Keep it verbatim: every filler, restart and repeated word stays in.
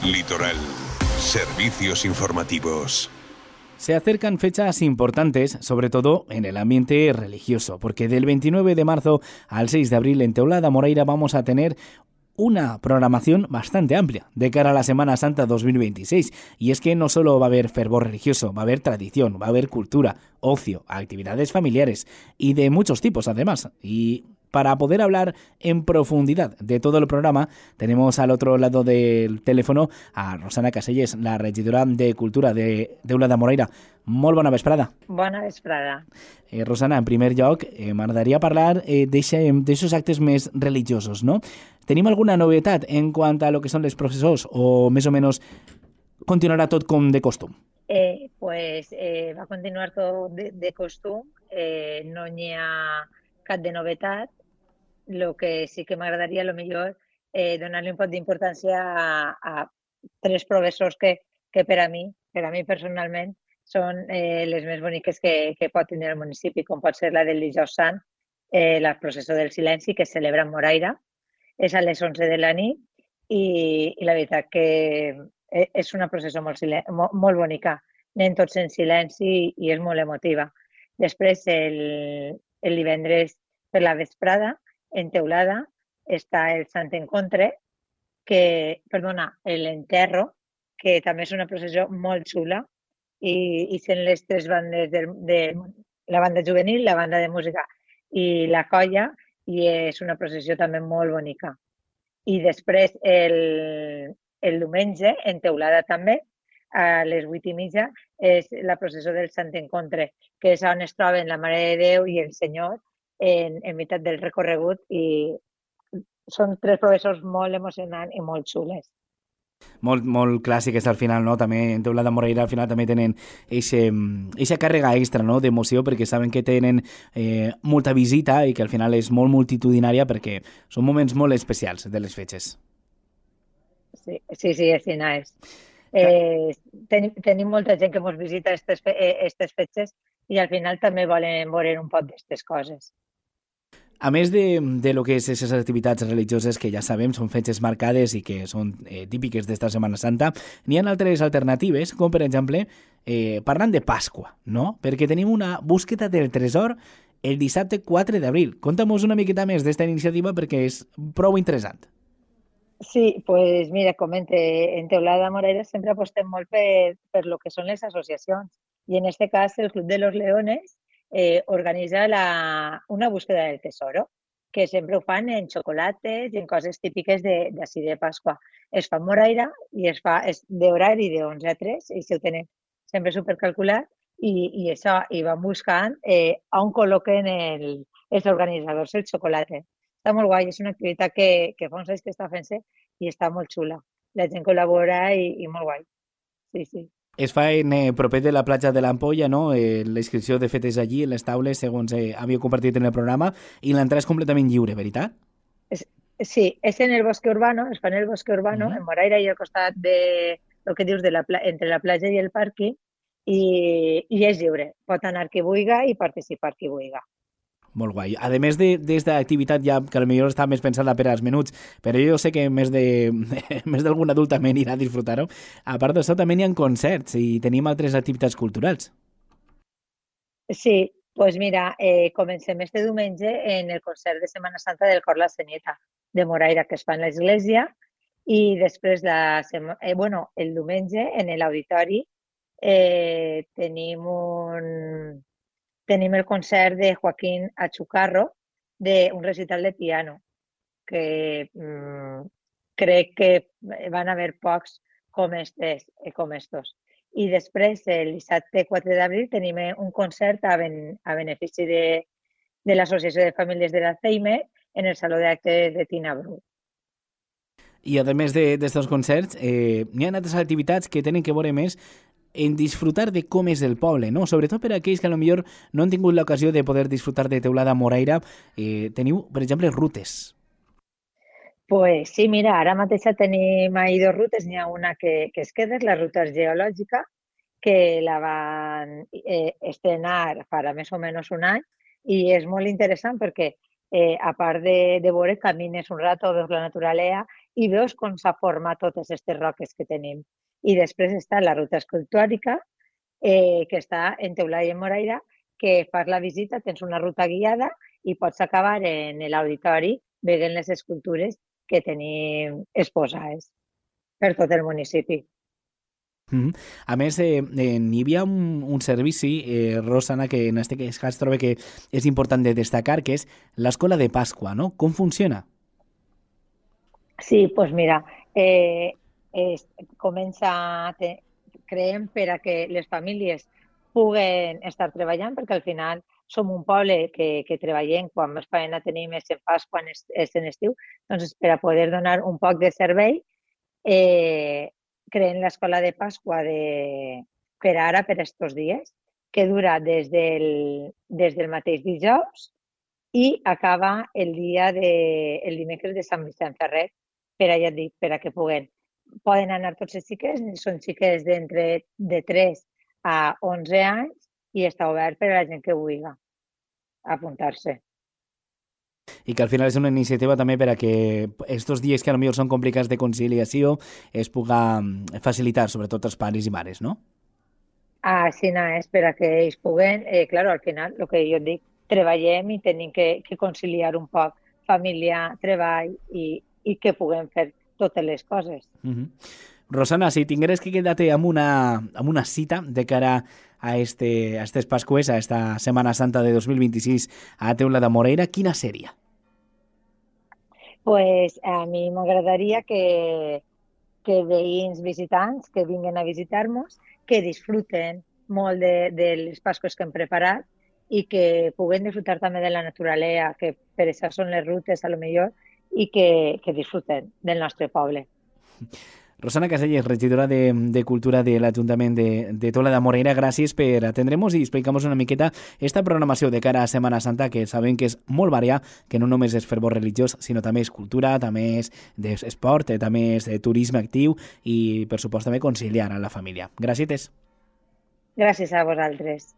Litoral. Servicios informativos. Se acercan fechas importantes, sobre todo en el ambiente religioso, porque del veintinueve de marzo al seis de abril en Teulada Moreira vamos a tener una programación bastante amplia de cara a la Semana Santa dos mil veintiséis. Y es que no solo va a haber fervor religioso, va a haber tradición, va a haber cultura, ocio, actividades familiares y de muchos tipos además. Y para poder hablar en profundidad de todo el programa, tenemos al otro lado del teléfono a Rosana Caselles, la regidora de Cultura de Teulada Moreira. Molt bona vesprada. Bona vesprada. Eh, Rosana, en primer lloc, eh, m'agradaria parlar eh, d'aixos actes més religiosos, no? Tenim alguna novetat en quant a lo que són les processors o més o menys continuarà tot com de costum? Eh, pues eh, va continuar tot de, de costum, eh, no n'hi ha cap de novetat. Lo que sí que m'agradaria, a lo millor, eh, donar-li un poc d'importància a, a tres professors que, que per a mi, per a mi personalment, són eh, les més boniques que, que pot tenir el municipi, com pot ser la del Dijous Sant, eh, la processó del silenci, que es celebra en Moraira. És a les onze de la nit i, i la veritat que és una processó molt, silen- molt, molt bonica. Anem tots en silenci i és molt emotiva. Després, el, el divendres per la vesprada, en Teulada, està el Sant Encontre, que, perdona, l'Enterro, que també és una processó molt xula, i, i sent les tres bandes de, de la banda juvenil, la banda de música i la colla, i és una processó també molt bonica. I després, el, el diumenge, en Teulada també, a les vuit i mitja, és la processó del Sant Encontre, que és on es troben la Mare de Déu i el Senyor en, en meitat del recorregut, i són tres processons molt emocionants i molt xules. Molt, molt clàssiques al final, no? També en Teulada Moreira al final també tenen eixa càrrega extra, no?, d'emoció, perquè saben que tenen eh, molta visita i que al final és molt multitudinària perquè són moments molt especials de les fetges. Sí, sí, sí, així és. Eh, ten, tenim molta gent que ens visita aquestes eh, fetges i al final també volen veure un poc d'aquestes coses. A més de, de lo que és aquestes activitats religioses que ja sabem són fetges marcades i que són eh, típiques d'esta Setmana Santa, n'hi ha altres alternatives, com per exemple, eh, parlant de Pasqua, no? Perquè tenim una búsqueda del tresor el dissabte quatre d'abril. Conta'm-nos una miqueta més d'esta iniciativa perquè és prou interessant. Sí, pues mira, comente, en Teulada Moreira sempre apostem molt per, per lo que són les associacions i en este cas el Club de los Leones eh, organitza la, una búsqueda del tesoro, que sempre ho fan en xocolates i en coses típiques d'ací de, de Pasqua. Es fa en Moraira i es fa d'horari de onze a tres, i si ho tenen sempre supercalculat, i, i això, i van buscant eh, on col·loquen el, els organitzadors el xocolate. Està molt guai, és una activitat que, que fa uns anys que està fent-se i està molt xula. La gent col·labora i, i molt guai. Sí, sí. Es fa en eh, proper de la platja de l'Ampolla, no? Eh, la inscripció de fet és allí, en les taules, segons eh, havia compartit en el programa, i l'entrada és completament lliure, veritat? Es, sí, és en el bosque urbano, es fa en el bosque urbano, uh-huh. En Moraira i al costat de, el que dius, de la, entre la platja i el pàrquing, i, i és lliure. Pot anar qui vulgui i participar qui vulgui. Molt guai. A més d'esta activitat ja, que potser està més pensada per als menuts, però jo sé que més de més d'algun adult també anirà a disfrutar-ho. A part d'això també hi ha concerts i tenim altres activitats culturals. Sí, doncs pues mira, eh, comencem este diumenge en el concert de Setmana Santa del Cor La Senyeta de Moraira, que es fa en l'església, i després la sema... eh, bueno, el diumenge en l'auditori eh, tenim un... tenim el concert de Joaquín Achucarro, d'un recital de piano, que mmm, crec que van haver pocs com estos. Com estos. I després, el dissabte quatre d'abril, tenim un concert a, ben, a benefici de, de l'Associació de Famílies de l'Alzheimer en el Saló d'Actes de Tina Bru. I a més d'estos concerts, eh, hi ha altres activitats que tenen que veure més en disfrutar de com és el poble, no? Sobretot per aquells que potser no han tingut l'ocasió de poder disfrutar de Teulada Moreira. Eh, teniu, per exemple, rutes. Pues sí, mira, ara mateix tenim ahí dos rutes. N'hi ha una que, que es queda, és la ruta geològica, que la van eh, estrenar farà més o menys un any, i és molt interessant perquè, eh, a part de, de veure, camines un rato, veus la naturalesa i veus com s'ha format totes aquestes roques que tenim. I després està la ruta escultòrica, eh, que està en Teulada de Moraira, que fas la visita, tens una ruta guiada i pots acabar en l'auditori veient les escultures que tenim exposades per tot el municipi. Mm -hmm. A més, eh, eh, hi havia un, un servici, eh, Rosana, que en este cas trobo que és important de destacar, que és l'escola de Pasqua, no? Com funciona? Sí, doncs pues mira, eh, es, comença, te, creem per a que les famílies puguen estar treballant, perquè al final som un poble que, que treballem quan més feina tenim és en Pasqua, és, és en estiu, doncs per a poder donar un poc de servei, eh, creen l'escola de Pasqua de, per ara, per estos dies, que dura des del, des del mateix dijous i acaba el dia de, el dimecres de Sant Vicent Ferrer, per a, ja et dic, per a que puguen. Poden anar tots els xiquets, són xiquets d'entre de tres a onze anys i està obert per a la gent que vulgui apuntar-se. I que al final és una iniciativa també per a que estos dies que potser són complicats de conciliació es puga facilitar, sobretot als pares i mares, no? Ah, sí, no, és per a que ells puguen, eh, claro, al final, el que jo et dic, treballem i tenim que, que conciliar un poc família, treball i, i que puguem fer totes les coses. Uh-huh. Rosana, si tingueres que quedar-te amb una, amb una cita de cara a este, a estes Pascues, a esta Setmana Santa de dos mil vint-i-sis a Teulada de Moraira, quina seria? Pues a mi m'agradaria que, que veïns visitants que vinguin a visitar-nos, que disfruten molt de, de les Pasques que hem preparat i que puguen disfrutar també de la naturalesa, que per això són les rutes, a lo millor, i que, que disfruten del nostre poble. Rosana Caselles, regidora de, de Cultura de l'Ajuntament de, de Teulada de Moraira, gràcies per atendre'ns i explicar-nos una miqueta esta programació de cara a Setmana Santa, que sabem que és molt variada, que no només és fervor religiós, sinó també és cultura, també és d'esport, també és de turisme actiu i, per supost, també conciliar a la família. Gràcies. Gràcies a vosaltres.